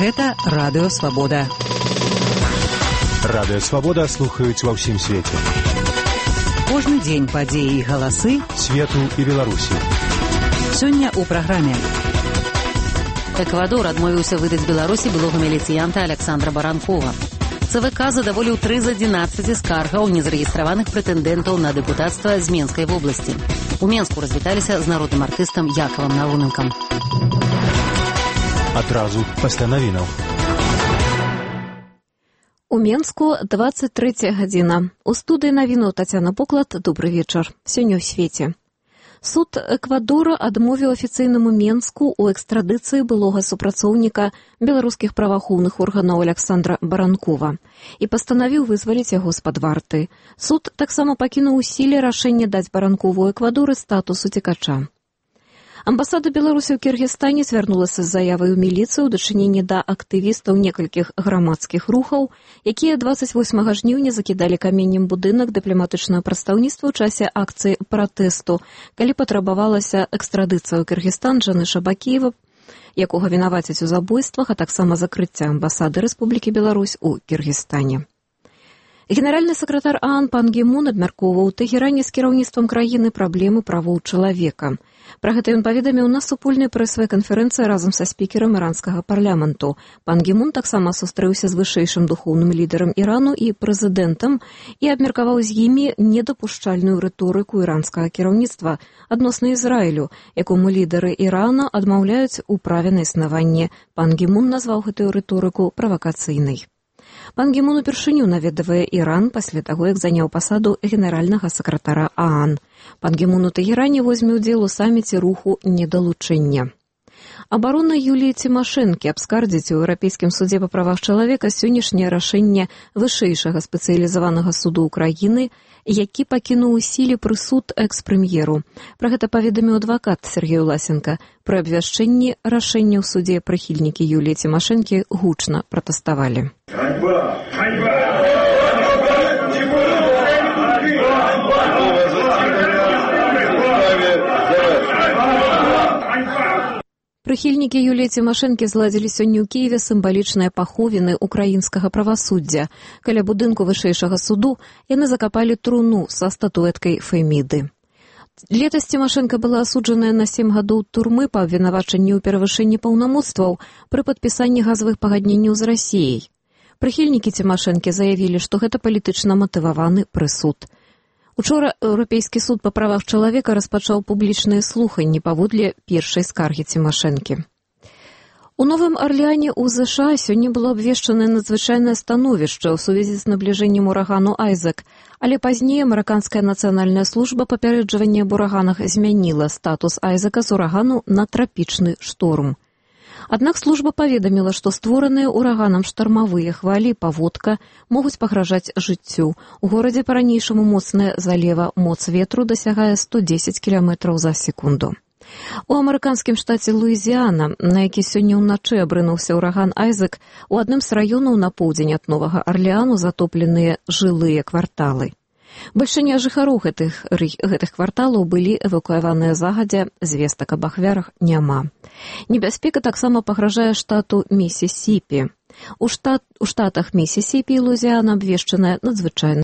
Гэта Радыё Свабода. Радыё Свабода слухаюць ва ўсім свеце. Кожны дзень падзеі і галасы свету і Беларусі. Сёння ў праграме. Эквадор адмовіўся выдаць Беларусі былога міліцыянта Александра Баранкова. ЦВК задаволіў 3 з 11 скаргаў незарэгістраваных прэтэндэнтаў на дэпутацтва з Менскай вобласці. У Менску развіталіся з народным артыстам Якавам Науненкам. Адразу пасля навінаў. У Менску 23 гадзіна. У студыі навінаў Тацяна Поклад. Добры вечар. Сёння ў свеце. Суд Эквадора адмовіў афіцыйнаму Менску ў экстрадыцыі былога супрацоўніка беларускіх праваахоўных органаў Александра Баранкова і пастанавіў вызваліць яго з-пад варты. Суд таксама пакінуў у сіле рашэнне даць Баранкову ў Эквадоры статус уцекача. Амбасада Беларусі ў Кіргізстане звярнулася з заявай у міліцыю ў дачыненні да актывістаў некалькіх грамадскіх рухаў, якія 28 жніўня закідалі каменнем будынак дыпламатычнага прадстаўніцтва ў часе акцыі пратэсту, калі патрабавалася экстрадыцыя ў Кіргізстан Джаны Шабакіева, якога вінавацяць у забойствах, а таксама закрыцця амбасады Рэспублікі Беларусь у Кіргізстане. Генеральны сакратар ААН пан Гі Мун абмяркоўваў у Тэхеране з кіраўніцтвам краіны праблемы правоў чалавека. Пра гэта ён паведаміў на супольнай прэсавай канферэнцыі разам са спікерам іранскага парламенту. Пан Гі Мун таксама сустрэўся з вышэйшым духоўным лідарам Ірану і прэзідэнтам і абмеркаваў з імі недапушчальную рыторыку іранскага кіраўніцтва адносна Ізраілю, якому лідары Ірана адмаўляюць у праве на існаванне. Пан Гі Мун назваў гэтую рыторыку правакацыйнай. Пан Гі Мун упершыню наведавае Іран пасля таго, як заняў пасаду генеральнага сакратара ААН. Пан Гі Мун у Тэхеране возьме ўдзел у саміце руху недалучэння. Абарона Юліі Цімашэнкі абскардзіць у Еўрапейскім судзе па правах чалавека сённяшняе рашэнне вышэйшага спецыялізаванага суду ўкраіны, які пакінуў у сіле прысуд экс-прэм'еру. Пра гэта паведаміў адвакат Сергей Власенко. Пры абвяшчэнні рашэння ў судзе прыхільнікі Юліі Цімашэнкі гучна пратэставалі. Прыхільнікі Юліі Цімашэнкі зладзілі сёння ў Кіеве сімвалічныя паховіны украінскага правасуддзя. Каля будынку вышэйшага суду яны закапалі труну са статуэткай Феміды. Летась Цімашэнка была асуджаная на 7 гадоў турмы па абвінавачанні ў перавышэнні паўнамоцтваў пры падпісанні газавых пагадненняў з Расіяй. Прыхільнікі Цімашэнкі заявілі, што гэта палітычна матываваны прысуд. Учора Еўрапейскі суд па правах чалавека распачаў публічныя слуханні паводле першай скаргі Цімашэнкі. У Новым Арлеане ў ЗША сёння было абвешчанае надзвычайнае становішча ў сувязі з набліжэннем урагану Айзек, але пазней амерыканская нацыянальная служба папярэджвання аб ураганах змяніла статус Айзека з урагану на трапічны шторм. Аднак служба паведаміла, што створаныя ураганам штармавыя хвалі паводка могуць пагражаць жыццю. У горадзе па-ранейшаму моцная залева, моц ветру дасягае 110 км за секунду. У амерыканскім штаце Луізіяна, на які сёння ўначы абрынуўся ўраган Айзек, у адным з раёнаў на поўдзень ад Новага Арлеану затопленыя жылыя кварталы. Бальшыня жыхароў гэтых кварталаў былі эвакуяваныя загадзя, звестак аб ахвярах няма. Небяспека таксама пагражае штату Місісіпі. У штатах Місісіпі і Луізіяна абвешчанае надзвычайнае